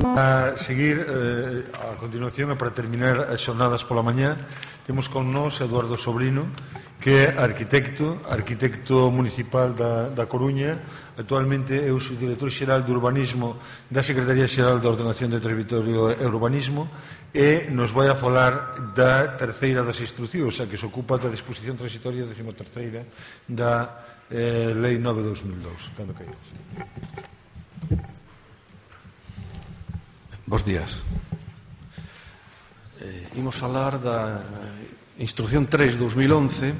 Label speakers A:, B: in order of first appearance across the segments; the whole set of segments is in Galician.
A: A seguir, a continuación, e para terminar as xornadas pola mañá, temos con nós Eduardo Sobrino, que é arquitecto municipal da Coruña. Actualmente é o subdirector xeral de urbanismo da Secretaría Xeral de Ordenación de Territorio e Urbanismo, e nos vai a falar da terceira das instruccións, a que se ocupa da disposición transitoria 13ª da Lei 9/2002. Cando queiras.
B: Bos días. Imos falar da Instrucción 3/2011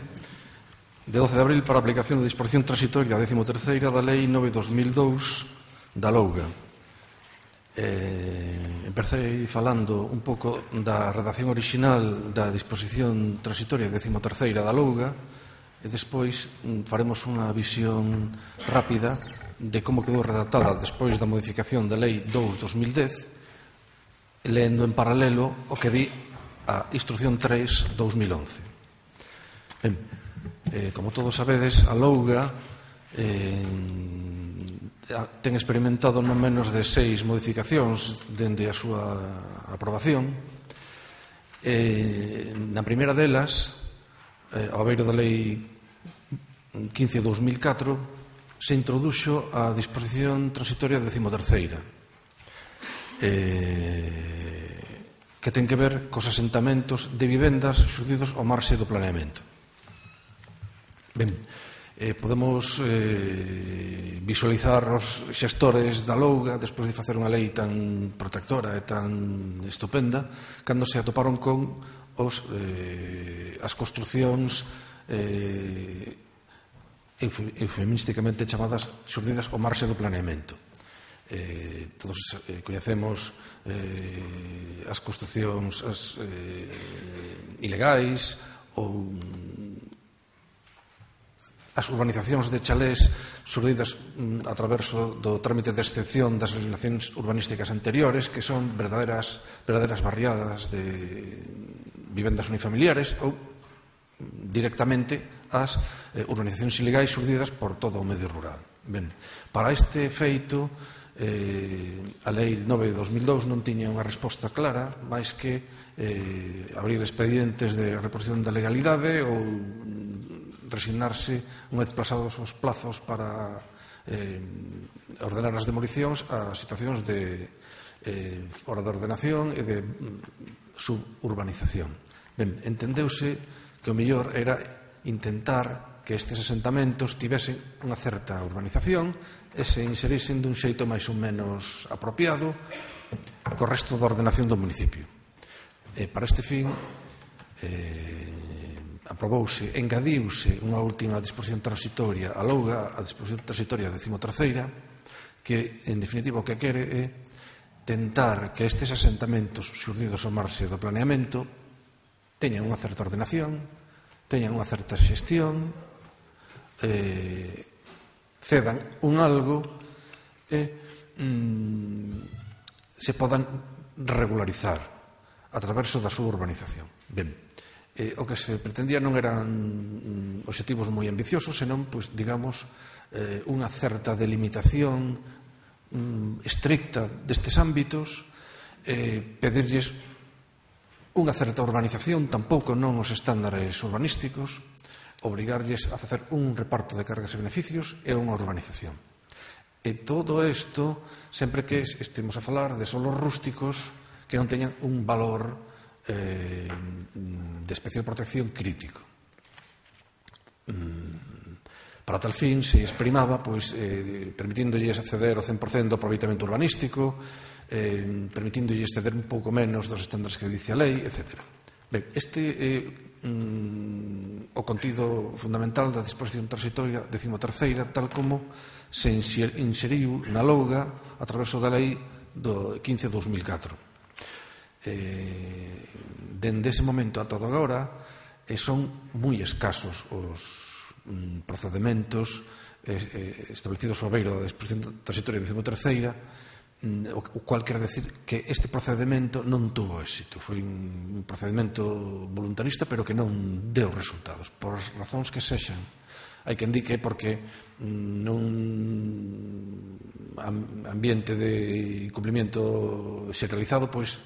B: de 12 de abril para a aplicación da disposición transitoria 13ª da Lei 9/2002 da Louga. Empecei falando un pouco da redacción orixinal da disposición transitoria 13ª da Louga e despois faremos unha visión rápida de como quedou redactada despois da modificación da Lei 2/2010, leendo en paralelo o que di a Instrucción 3/2011. Ben, como todos sabedes, a Louga ten experimentado non menos de 6 modificacións dende a súa aprobación. Na primeira delas, ao beiro da Lei 15/2004, se introduxo a disposición transitoria 13ª, que ten que ver cos asentamentos de vivendas xurdidos ao marxe do planeamento. Ben, podemos visualizar os xestores da Louga despois de facer unha lei tan protectora e tan estupenda cando se atoparon con as construcións eufemísticamente chamadas xurdidas ao marxe do planeamento. Todos coñecemos as construcións ilegais ou as urbanizacións de chalés surdidas a través do trámite de excepción das legislacións urbanísticas anteriores, que son verdaderas barriadas de vivendas unifamiliares, ou directamente as urbanizacións ilegais surdidas por todo o medio rural. Ben, para este feito, a Lei 9/2002 non tiña unha resposta clara, máis que abrir expedientes de reposición da legalidade ou resignarse unha vez pasados os plazos para ordenar as demolicións a situacións de fora de ordenación e de suburbanización. Ben, entendeuse que o mellor era intentar que estes asentamentos tivesen unha certa urbanización e se inserisen dun xeito máis ou menos apropiado co resto da ordenación do municipio. Para este fin, aprobouse, engadiuse unha última disposición transitoria a Louga, a disposición transitoria 13ª, que, en definitiva, o que quere é tentar que estes asentamentos xurdidos ao marxe do planeamento teñan unha certa ordenación, teñan unha certa xestión, cedan un algo e se podan regularizar a través da súa urbanización. Ben, o que se pretendía non eran obxectivos moi ambiciosos, senón, digamos, unha certa delimitación estricta destes ámbitos, pedirlles unha certa urbanización, tampouco non os estándares urbanísticos, obrigarlles a facer un reparto de cargas e beneficios e unha urbanización. E todo isto sempre que estemos a falar de solos rústicos que non teñan un valor de especial protección crítico. Para tal fin se exprimaba permitindolles acceder ao 100% do aproveitamento urbanístico, permitindolles exceder un pouco menos dos estándares que dice a lei, etc. Ben, este é o contido fundamental da disposición transitoria 13ª, tal como se inseriu na Louga a través da lei do 15/2004. Dende ese momento a todo agora son moi escasos os procedementos establecidos ao beiro da disposición transitoria 13ª, o cual quere decir que este procedimento non tuvo éxito. Foi un procedimento voluntarista, pero que non deu resultados. Por as razóns que sexan, Hai quen di que porque nun ambiente de incumplimiento xeneralizado, pois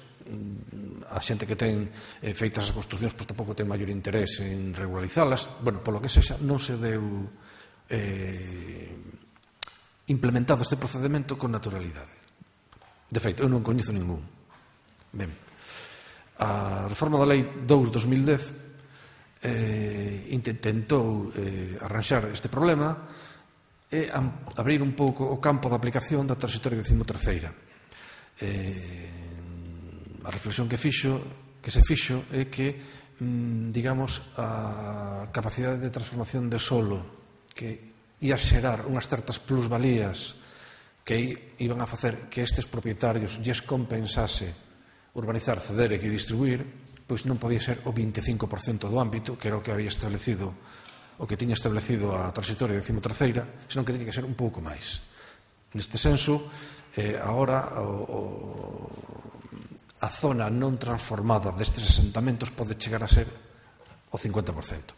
B: a xente que ten feitas as construcións pois tampouco ten maior interés en regularizalas. Bueno, polo que sexa, non se deu implementado este procedimento con naturalidade. De feito, eu non coñezo ningún. Ben, a reforma da Lei 2/2010 intentou arranxar este problema e abrir un pouco o campo de aplicación da transitoria 13ª. A reflexión que se fixo é que, digamos, a capacidade de transformación de solo que ia xerar unhas certas plusvalías que iban a facer que estes propietarios lles compensase urbanizar, ceder e distribuir, pois non podía ser o 25% do ámbito, que era o que había establecido, o que tiña establecido a transitoria 13ª, senón que tiña que ser un pouco máis. Neste senso, agora a zona non transformada destes asentamentos pode chegar a ser o 50%.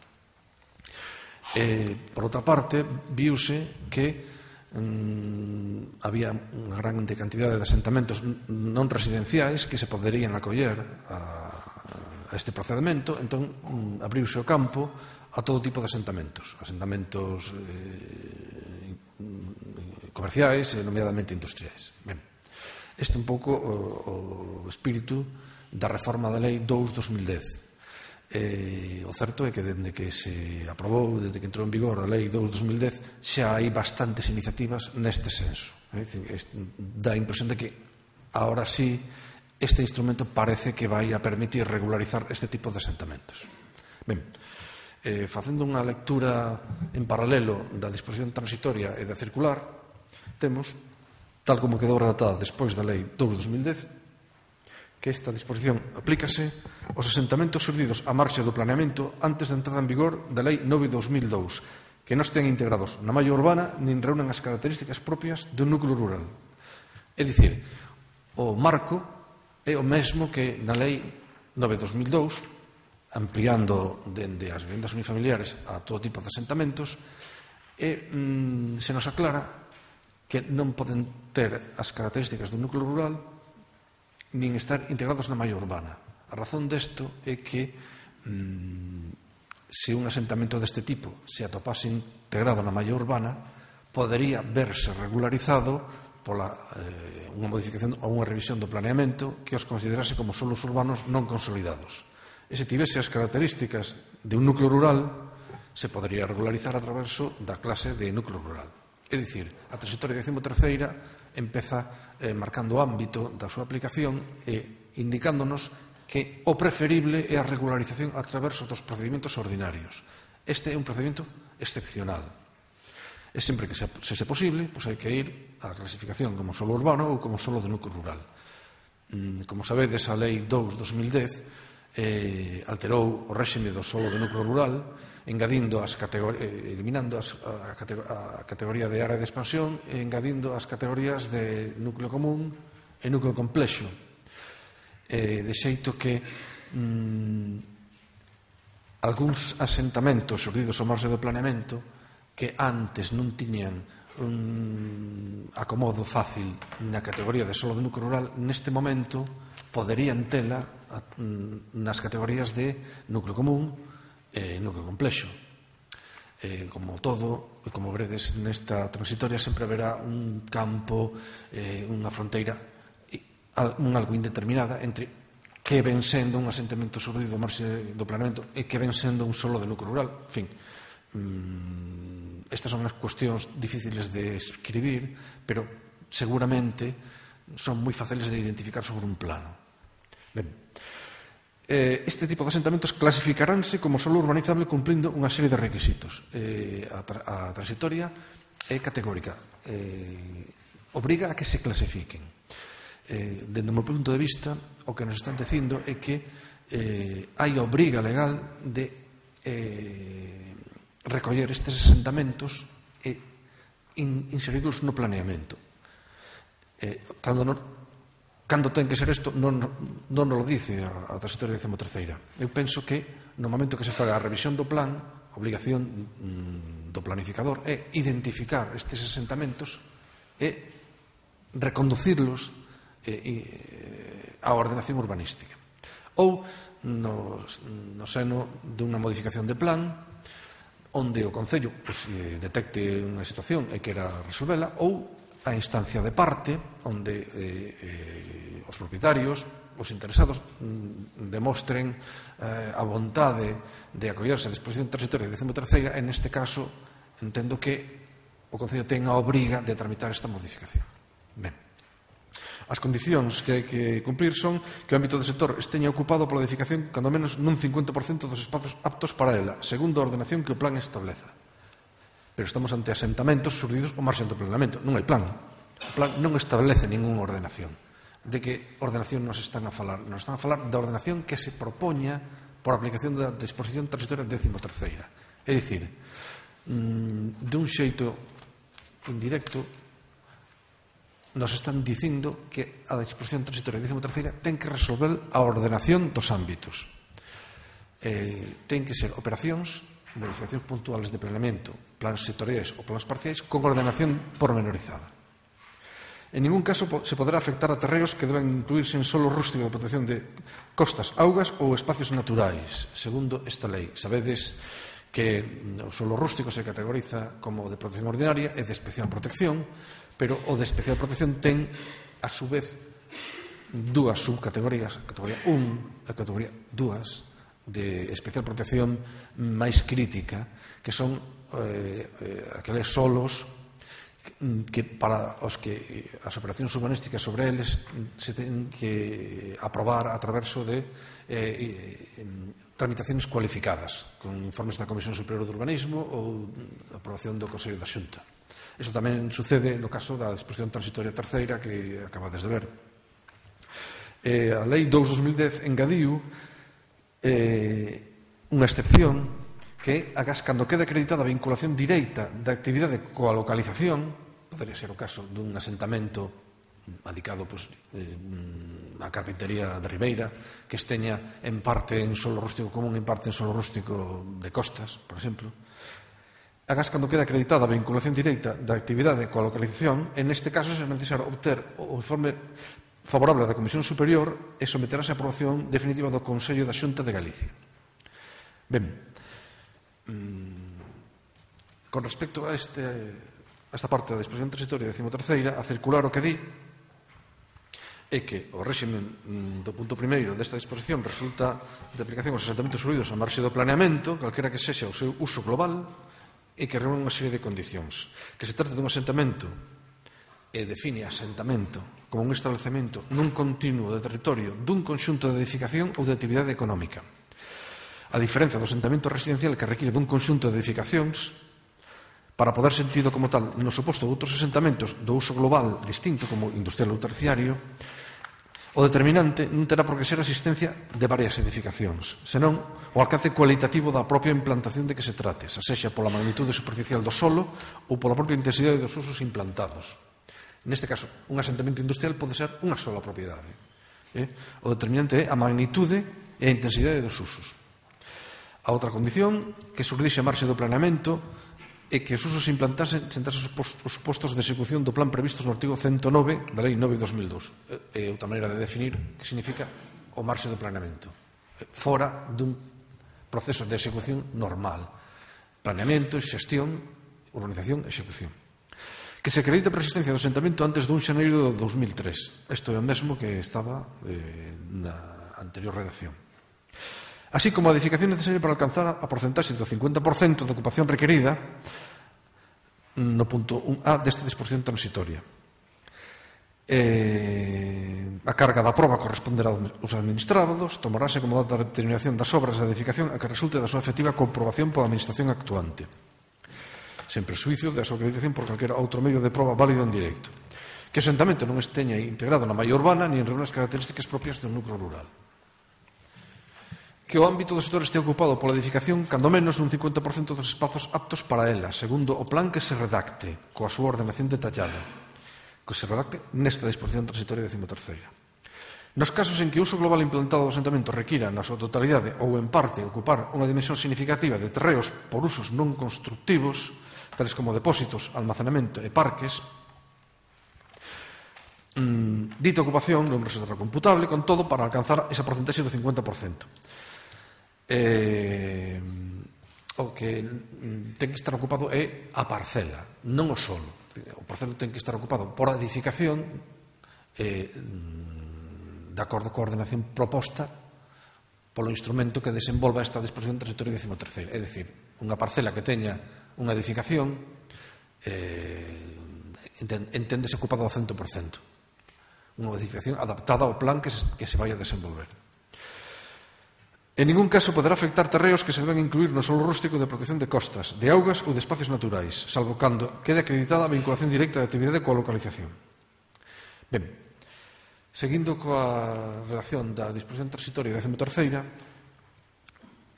B: Por outra parte, viuse que había unha grande cantidade de asentamentos non residenciais que se poderían acoller a este procedimento, entón abriuse o campo a todo tipo de asentamentos comerciais e nomeadamente industriais. Ben, este é un pouco o espírito da reforma da Lei 2/2010. O certo é que dende que se aprobou, desde que entrou en vigor a Lei 2/2010, xa hai bastantes iniciativas neste senso. Dá a impresión de que ahora sí este instrumento parece que vai a permitir regularizar este tipo de asentamentos. Ben, facendo unha lectura en paralelo da disposición transitoria e da circular, temos, tal como quedou redactada despois da Lei 2/2010, que esta disposición aplícase aos asentamentos xurdidos a marxe do planeamento antes da entrada en vigor da Lei 9/2002, que non estean integrados na malla urbana nin reúnen as características propias dun núcleo rural. É dicir, o marco é o mesmo que na Lei 9/2002, ampliando dende as vivendas unifamiliares a todo tipo de asentamentos, e se nos aclara que non poden ter as características dun núcleo rural nin estar integrados na malla urbana. A razón desto é que se un asentamento deste tipo se atopase integrado na malla urbana, podería verse regularizado pola unha modificación ou unha revisión do planeamento que os considerase como solos urbanos non consolidados. E se tivese as características de un núcleo rural, se podería regularizar a través da clase de núcleo rural. É dicir, a transitoria 13ª empeza marcando o ámbito da súa aplicación e indicándonos que o preferible é a regularización a través dos procedimentos ordinarios. Este é un procedimento excepcional. E sempre que se posible, hai que ir á clasificación como solo urbano ou como solo de núcleo rural. Como sabedes, a Lei 2/2010 alterou o réxime do solo de núcleo rural, eliminando a categoría de área de expansión e engadindo as categorías de núcleo común e núcleo complexo, de xeito que algúns asentamentos xurdidos ao marxe do planeamento que antes non tiñan un acomodo fácil na categoría de solo de núcleo rural, neste momento poderían tela nas categorías de núcleo común e núcleo complexo. Como todo, e como veredes nesta transitoria, sempre haberá un campo, unha fronteira algo indeterminada entre que ven sendo un asentamento xurdido ao marxe do planeamento e que ven sendo un solo de núcleo rural. En fin, estas son as cuestións difíciles de escribir, pero seguramente son moi fáciles de identificar sobre un plano. Ben, este tipo de asentamentos clasificaránse como solo urbanizable cumplindo unha serie de requisitos. A transitoria é categórica, obriga a que se clasifiquen. Dende o meu punto de vista, o que nos están dicindo é que hai obriga legal de recoller estes asentamentos e inserirlos no planeamento. Cando ten que ser isto, non nos lo dice a transitoria 13ª. Eu penso que no momento que se faga a revisión do plan, a obligación do do planificador é identificar estes asentamentos e reconducirlos á ordenación urbanística. Ou no seno dunha modificación de plan onde o Concello detecte unha situación e quera resolvela, ou a instancia de parte onde os propietarios, os interesados demostren a vontade de acollerse a disposición transitoria de 13ª, e neste caso entendo que o Concello ten a obriga de tramitar esta modificación. Ben, as condicións que hai que cumplir son que o ámbito do sector esteña ocupado pola edificación cando menos nun 50% dos espazos aptos para ela, segundo a ordenación que o plan estableza. Pero estamos ante asentamentos surdidos ao marxen do planeamento. Non hai plan. O plan non establece ninguna ordenación. De que ordenación nos están a falar? Nos están a falar da ordenación que se propoña por aplicación da disposición transitoria 13ª. É dicir, de un xeito indirecto, nos están dicindo que a disposición transitoria 13ª ten que resolver a ordenación dos ámbitos. Ten que ser operacións, modificacións puntuales de planeamento, plans sectoriais ou plans parciais con ordenación pormenorizada. En ningún caso se poderá afectar a terreos que deben incluirse en solo rústico de protección de costas, augas ou espacios naturais, segundo esta lei. Sabedes que o solo rústico se categoriza como de protección ordinaria e de especial protección, pero o de especial protección ten, a su vez, dúas subcategorías, a categoría 1 e a categoría 2, de especial protección máis crítica, que son aqueles solos que para os que as operacións urbanísticas sobre eles se ten que aprobar a traverso de tramitacións cualificadas con informes da Comisión Superior de Urbanismo ou aprobación do Consello da Xunta. Iso tamén sucede no caso da disposición transitoria terceira que acabades de ver. A Lei 2/2010 engadiu unha excepción que agás cando queda acreditada a vinculación directa da actividade coa localización, podería ser o caso dun asentamento adicado a carpintería de Ribeira, que esteña en parte en solo rústico común e en parte en solo rústico de costas, por exemplo. Agás cando queda acreditada a vinculación directa da actividade coa localización, en este caso será necesario obter o informe favorable da Comisión Superior e someterase a aprobación definitiva do Consello da Xunta de Galicia. Ben, con respecto a esta parte da disposición transitoria 13ª, a circular o que di é que o réximen do punto primeiro desta disposición resulta de aplicación aos asentamentos surdidos a marxe do planeamento, calquera que sexa o seu uso global, e que reúne unha serie de condicións. Que se trata dun asentamento e define asentamento como un establecemento nun continuo de territorio dun conxunto de edificación ou de actividade económica. A diferencia do asentamento residencial que require dun conxunto de edificacións, para poder ser sentido como tal no suposto de outros asentamentos do uso global distinto como industrial ou terciario, o determinante non terá por que ser a existencia de varias edificacións, senón o alcance cualitativo da propia implantación de que se trate, xa sexa pola magnitude superficial do solo ou pola propia intensidade dos usos implantados. Neste caso, un asentamento industrial pode ser unha sola propiedade. O determinante é a magnitude e a intensidade dos usos. A outra condición que surdixe a marxe do planeamento é que os usos implantasen sentasen os postos de execución do plan previstos no artigo 109 da Lei 9/2002. É outra maneira de definir que significa o marxe do planeamento. Fora dun proceso de execución normal. Planeamento, xestión, urbanización, execución. Que se acredita a persistencia do asentamento antes dun xaneiro de 2003. Isto é o mesmo que estaba na anterior redacción. Así como a edificación necesaria para alcanzar a porcentaxe do 50% de ocupación requerida no punto 1A desta disposición transitoria. A carga da proba corresponderá aos administrados, tomarase como data de determinación das obras da edificación a que resulte da súa efectiva comprobación pola administración actuante, sen presuizo da súa acreditación por calquera outro medio de proba válido en directo. Que o asentamento non esteña integrado na malla urbana ni en reúne as características propias do núcleo rural. Que o ámbito do sector este ocupado pola edificación cando menos nun 50% dos espazos aptos para ela, segundo o plan que se redacte, coa súa ordenación detallada, que se redacte nesta disposición transitoria 13ª. Nos casos en que o uso global implantado do asentamento requira na súa totalidade ou en parte ocupar unha dimensión significativa de terreos por usos non constructivos, tales como depósitos, almacenamento e parques, dita ocupación non resulta recomputable, con todo, para alcanzar esa porcentaxe do 50%. O que ten que estar ocupado é a parcela, non o solo. O parcelo ten que estar ocupado por edificación de acordo coa ordenación proposta polo instrumento que desenvolva esta disposición transitoria 13ª. É dicir, unha parcela que teña unha edificación enténdese ocupada ao 100%. Unha edificación adaptada ao plan que se vai a desenvolver. En ningún caso poderá afectar terreos que se deben incluir no solo rústico de protección de costas, de augas ou de espacios naturais, salvo cando quede acreditada a vinculación directa de actividade coa localización. Ben, seguindo coa redacción da disposición transitoria 13ª,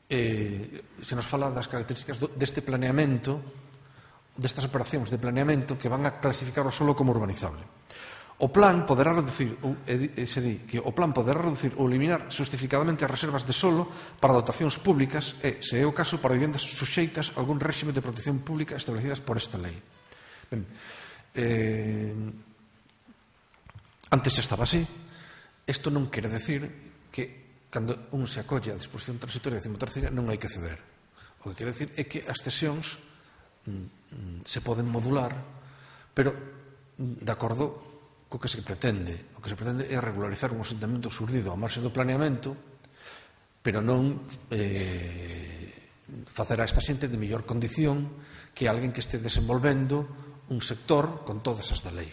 B: se nos fala das características deste planeamento, destas operacións de planeamento que van a clasificar o solo como urbanizable. O plan poderá reducir, se di que o plan poderá reducir ou eliminar justificadamente as reservas de solo para dotacións públicas e, se é o caso, para vivendas suxeitas a algún réxime de protección pública establecidas por esta lei. Ben, antes xa estaba así. Isto non quere decir que cando un se acolle a disposición transitoria 13ª non hai que ceder. O que quere decir é que as cesións se poden modular, pero de acordo co que se pretende. O que se pretende é regularizar un asentamento surdido ao marxe do planeamento, pero non facer a esta xente de mellor condición que alguén que este desenvolvendo un sector con todas as da lei.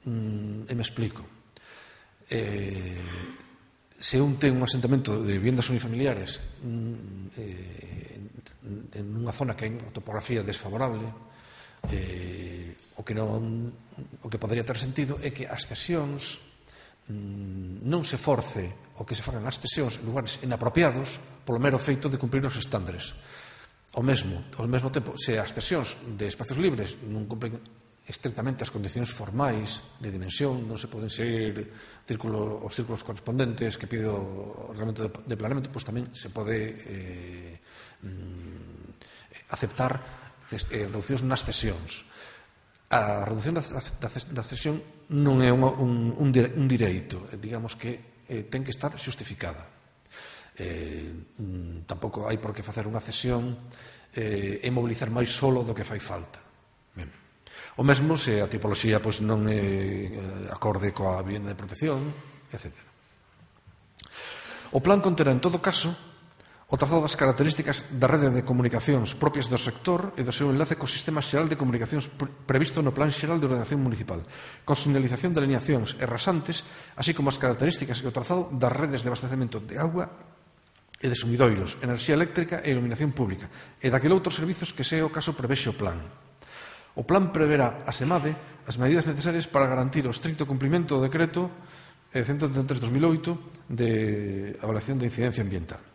B: E me explico. Se un ten un asentamento de vivendas unifamiliares en unha zona que hai unha topografía desfavorable, o que podería ter sentido é que as cesións non se force o que se fagan as cesións en lugares inapropiados polo mero feito de cumprir os estándares. Ao mesmo tempo, se as cesións de espacios libres non cumplen estrictamente as condicións formais de dimensión, non se poden seguir os círculos correspondentes que pide o reglamento de planeamento, pois tamén se pode aceptar reducións nas cesións. A reducción da cesión non é un direito, digamos que ten que estar xustificada. Tampouco hai por que facer unha cesión e mobilizar máis solo do que fai falta. Ben. O mesmo se a tipoloxía non é acorde coa vivenda de protección, etc. O plan conterá, en todo caso, o trazado das características da rede de comunicacións propias do sector e do seu enlace co sistema xeral de comunicacións previsto no Plan Xeral de Ordenación Municipal, con señalización de alineacións e rasantes, así como as características e o trazado das redes de abastecemento de auga e de sumidoiros, enerxía eléctrica e iluminación pública, e daquele outros servizos que se é o caso prevexe o plan. O plan preverá, asemade, as medidas necesarias para garantir o estricto cumprimento do decreto 133/2008 de avaliación de incidencia ambiental.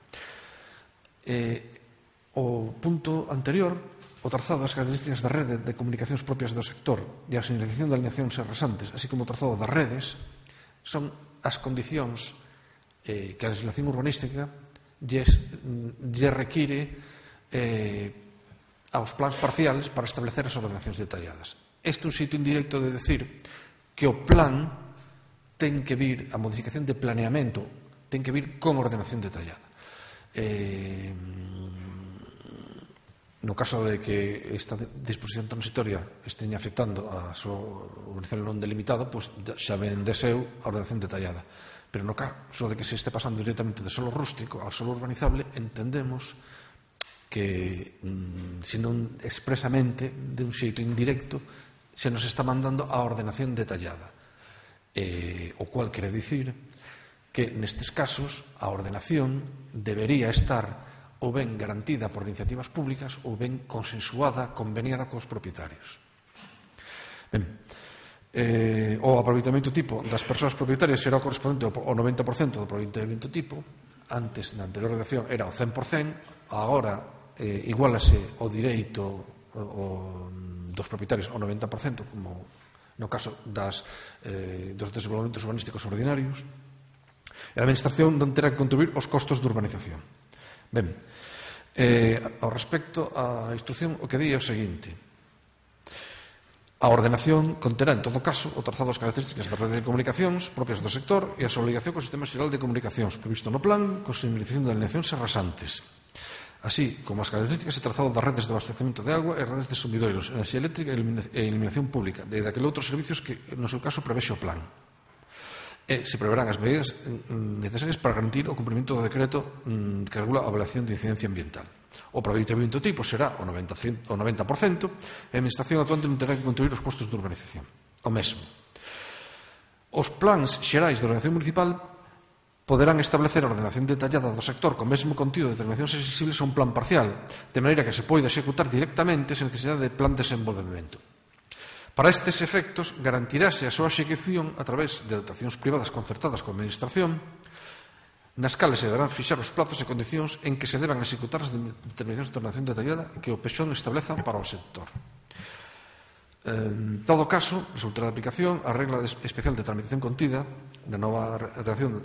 B: O punto anterior, o trazado das características da rede de comunicacións propias do sector e a señalización de alineacións e rasantes, así como o trazado das redes, son as condicións que a legislación urbanística lle require aos plans parciales para establecer as ordenacións detalladas. Este é un xeito indirecto de decir que o plan ten que vir, a modificación de planeamento ten que vir con ordenación detallada. No caso de que esta disposición transitoria esteña afectando a súa urbanización non delimitada, pois xa ven de seu a ordenación detallada. Pero no caso de que se este pasando directamente de solo rústico ao solo urbanizable, entendemos que, se non expresamente, de un xeito indirecto, se nos está mandando a ordenación detallada, o cual quere dicir que nestes casos a ordenación debería estar ou ben garantida por iniciativas públicas ou ben consensuada, conveniada cos propietarios. Ben, o aproveitamento tipo das persoas propietarias será o correspondente ao 90% do aproveitamento tipo. Antes, na anterior redacción, era o 100%, agora igualase o direito dos propietarios ao 90%, como no caso dos desenvolvementos urbanísticos ordinarios. E a Administración non terá que contribuir aos costos de urbanización. Ben, ao respecto á instrucción, o que di é o seguinte: a ordenación conterá, en todo caso, o trazado das características da rede de comunicacións propias do sector e a súa obligación co Sistema Xeral de Comunicacións previsto no plan con señalización de alineacións e rasantes, así como as características e trazado das redes de abastecemento de agua e redes de sumidoiros, enerxía eléctrica e iluminación pública, de daqueles outros servicios que, no seu caso, prevexe o plan. E se preverán as medidas necesarias para garantir o cumprimento do decreto que regula a avaliación de incidencia ambiental. O aproveitamento tipo será o 90%, e a Administración actuante non terá que contribuir aos costos de urbanización. O mesmo. Os plans xerais de ordenación municipal poderán establecer a ordenación detallada do sector con mesmo contido de determinacións exigibles a un plan parcial, de maneira que se poida executar directamente sen necesidade de plan de desenvolvemento. Para estes efectos, garantirase a súa execución a través de dotacións privadas concertadas coa Administración, nas cales se deberán fixar os plazos e condicións en que se deban executar as determinacións de ordenación detallada que o PEXON estableza para o sector. En todo caso, resultará de aplicación a regla especial de tramitación contida na nova redacción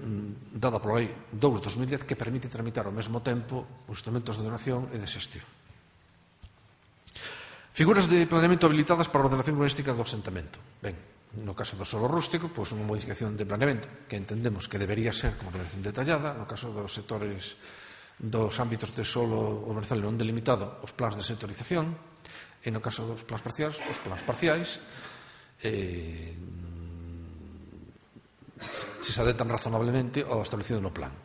B: dada pola Lei 2/2010 que permite tramitar ao mesmo tempo os instrumentos de ordenación e de xestión. Figuras de planeamento habilitadas para a ordenación urbanística do asentamento. Ben, no caso do solo rústico, pois unha modificación de planeamento que entendemos que debería ser como ordenación detallada. No caso dos sectores dos ámbitos de solo urbanizable non delimitado, os plans de sectorización, e no caso dos plans parciais, os plans parciais, se adetan razonablemente ao establecido no plan.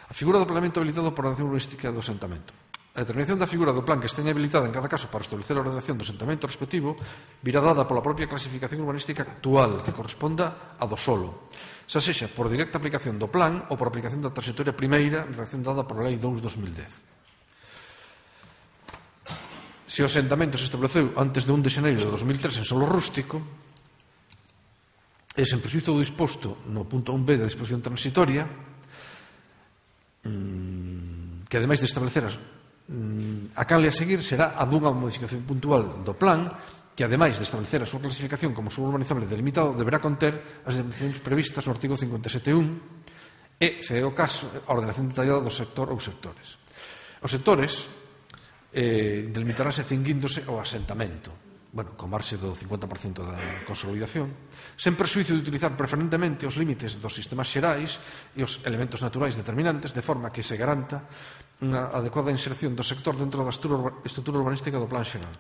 B: A figura do planeamento habilitado para a ordenación urbanística do asentamento. A determinación da figura do plan que esteña habilitada en cada caso para establecer a ordenación do asentamento respectivo virá dada pola propia clasificación urbanística actual que corresponda a do solo, xa sexa por directa aplicación do plan ou por aplicación da transitoria primeira redacción dada por a Lei 2/2010. Se o asentamento se estableceu antes de 1 de xaneiro de 2003 en solo rústico, e sen prexuízo do disposto no punto 1b da disposición transitoria, que ademais de establecer a canle a seguir será a dunha modificación puntual do plan que, ademais de establecer a súa clasificación como suelo urbanizable delimitado, deberá conter as definicións previstas no artigo 57.1 e, se é o caso, a ordenación detallada do sector ou sectores. Os sectores delimitaránse cinguíndose ao asentamento, con marxe do 50% da consolidación, sen perxuízo de utilizar preferentemente os límites dos sistemas xerais e os elementos naturais determinantes, de forma que se garanta unha adecuada inserción do sector dentro da estrutura urbanística do plan xeral.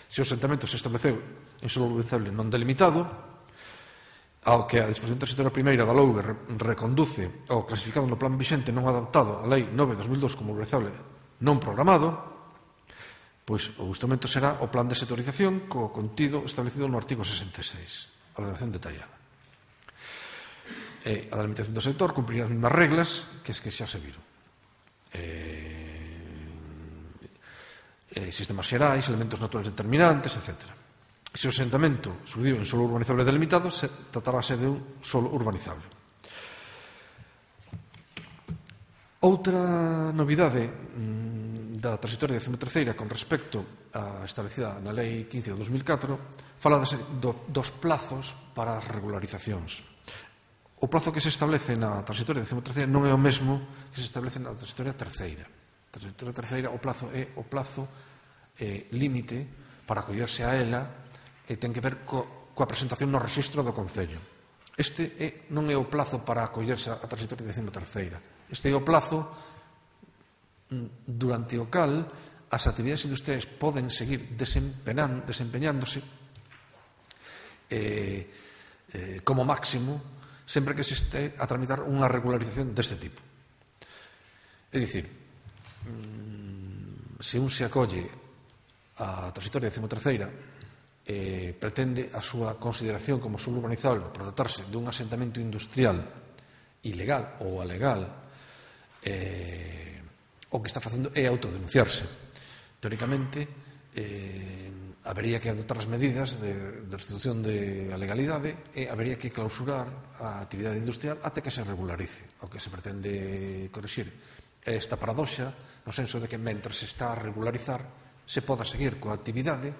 B: Se o asentamento se estableceu en solo urbanizable non delimitado, ao que a disposición transitoria primeira da LOUGE reconduce ao clasificado no plan vixente non adaptado á Lei 9/2002 como urbanizable non programado, pois o instrumento será o plan de sectorización co contido establecido no artigo 66, a ordenación detallada. A delimitación do sector cumprirá as mesmas reglas que xa se viron. Sistemas xerais, elementos naturais determinantes, etc. Se o asentamento surdiu en solo urbanizable delimitado, se tratarase de un solo urbanizable. Outra novidade da transitoria 13ª con respecto a establecida na Lei 15 de 2004 fala dos plazos para as regularizacións. O plazo que se establece na transitoria 13ª non é o mesmo que se establece na transitoria terceira. Na transitoria terceira o plazo é o plazo límite para acollerse a ela e ten que ver coa presentación no rexistro do Concello. Este non é o plazo para acollerse a transitoria 13ª. Este é o plazo durante o cal as actividades industriais poden seguir desempeñándose como máximo sempre que se este a tramitar unha regularización deste tipo. É dicir, se un se acolle a transitoria 13ª pretende a súa consideración como suelo urbanizable por tratarse dun asentamento industrial ilegal ou alegal, o que está facendo é autodenunciarse. Teóricamente, habería que adoptar as medidas de restitución de a legalidade e habería que clausurar a actividade industrial até que se regularice. O que se pretende corrixir é esta paradoxa no senso de que mentre se está a regularizar se poda seguir coa actividade,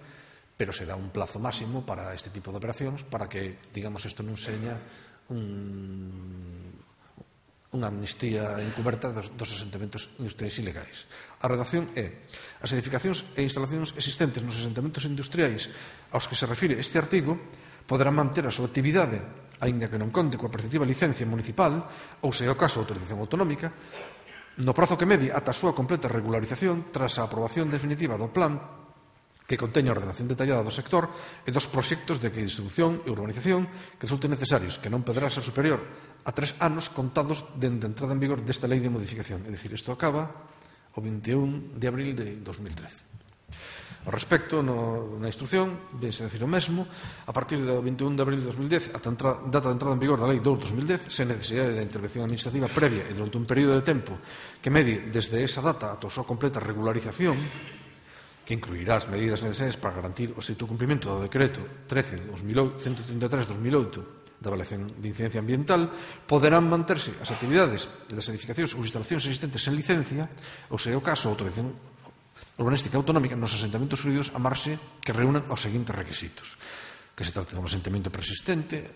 B: pero se dá un plazo máximo para este tipo de operacións para que, digamos, isto non seña un unha amnistía encuberta dos asentamentos industriais ilegais. A redacción é: as edificacións e instalacións existentes nos asentamentos industriais aos que se refire este artigo poderán manter a súa actividade, aínda que non conte coa preceptiva licencia municipal ou, se é o caso, autorización autonómica, no prazo que medie ata a súa completa regularización tras a aprobación definitiva do plan que conteña a ordenación detallada do sector e dos proxectos de distribución e urbanización que resulten necesarios, que non poderá ser superior a 3 anos contados dende a entrada en vigor desta lei de modificación. É dicir, isto acaba o 21 de abril de 2013. Ao respecto, na instrucción, vense a decir o mesmo, a partir do 21 de abril de 2010, a data de entrada en vigor da lei 2/2010, sen necesidade da intervención administrativa previa e durante un período de tempo que medie desde esa data ata a súa completa regularización, que incluirá as medidas necesarias para garantir o estricto cumprimento do decreto 133/2008 da avaliación de incidencia ambiental, poderán manterse as actividades das edificacións ou instalacións existentes en licencia, ou, se é o caso, autorización urbanística autonómica nos asentamentos xurídicos a marxe que reúnan os seguintes requisitos: que se trate dun asentamento persistente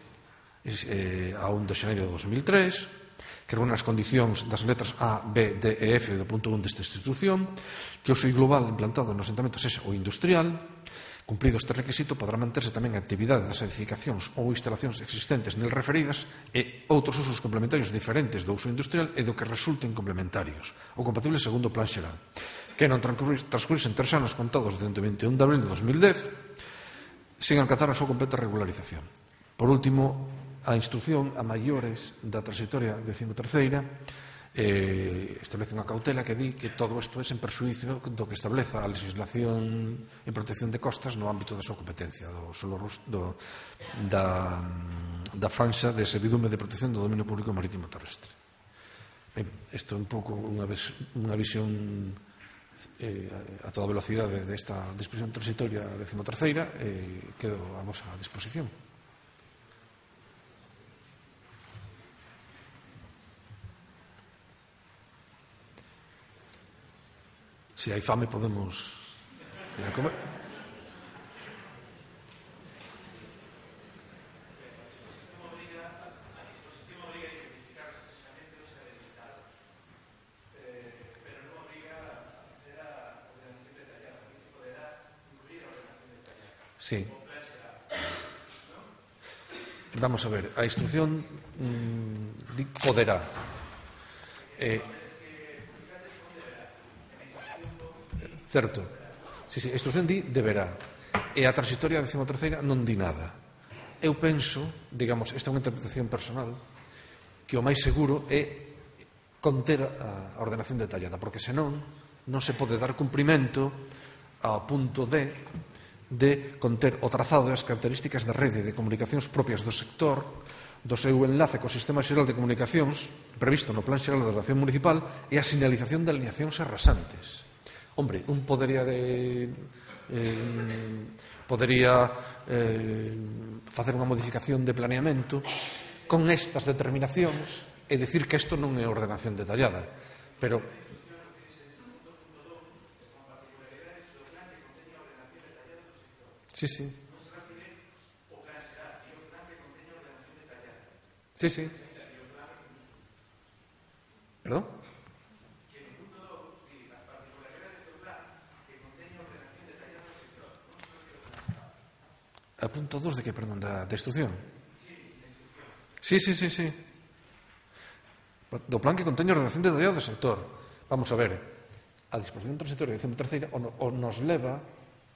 B: a 1 de xaneiro de 2003, que reúne as condicións das letras A, B, D e F do punto 1 desta institución, que o seu global implantado no asentamento sexa o industrial. Cumprido este requisito, podrá manterse tamén a actividade das edificacións ou instalacións existentes nel referidas e outros usos complementarios diferentes do uso industrial e do que resulten complementarios ou compatibles segundo o plan xeral, que non transcurrisen 3 anos contados dende o 21 de abril de 2010 sen alcanzar a súa completa regularización. Por último, a instrucción a maiores da transitoria 13ª establece unha cautela que di que todo isto é sen perxuízo do que estableza a legislación en protección de costas no ámbito da súa competencia da franxa de servidume de protección do dominio público marítimo terrestre. Ben, isto é un pouco unha visión a toda velocidade desta disposición transitoria 13ª e quedo a vosa disposición. Se hai fame podemos ir a comer. Sí. Vamos a ver, a instrucción poderá. Certo. Sí, a instrucción di deberá. E a transitoria 13ª non di nada. Eu penso, digamos, esta é unha interpretación personal, que o máis seguro é conter a ordenación detallada, porque senón non se pode dar cumprimento ao punto de conter o trazado e as características da rede de comunicacións propias do sector, do seu enlace co Sistema Xeral de Comunicacións previsto no Plan Xeral de Ordenación Municipal e a sinalización de alineacións arrasantes. Hombre, un podería facer unha modificación de planeamento con estas determinacións e dicir que isto non é ordenación detallada, pero sí. Sí. Perdón? A punto 2 de que, perdón, da instrucción? Sí. Do plan que conteña a ordenación detallada do sector. Vamos a ver, a disposición transitoria de 13ª nos leva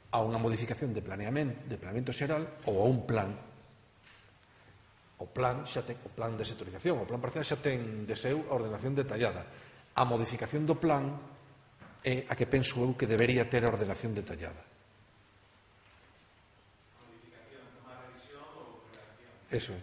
B: a unha modificación de planeamento xeral ou a un plan. O plan de sectorización, o plan parcial xa ten de seu a ordenación detallada. A modificación do plan é a que penso eu que debería ter a ordenación detallada. Eso é.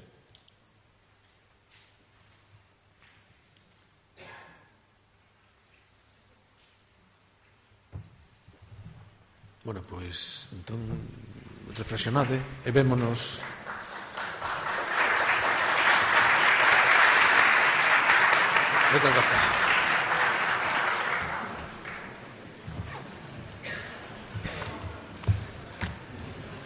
B: Bueno, pois, entón, reflexionade e vémonos. Moitas gracias.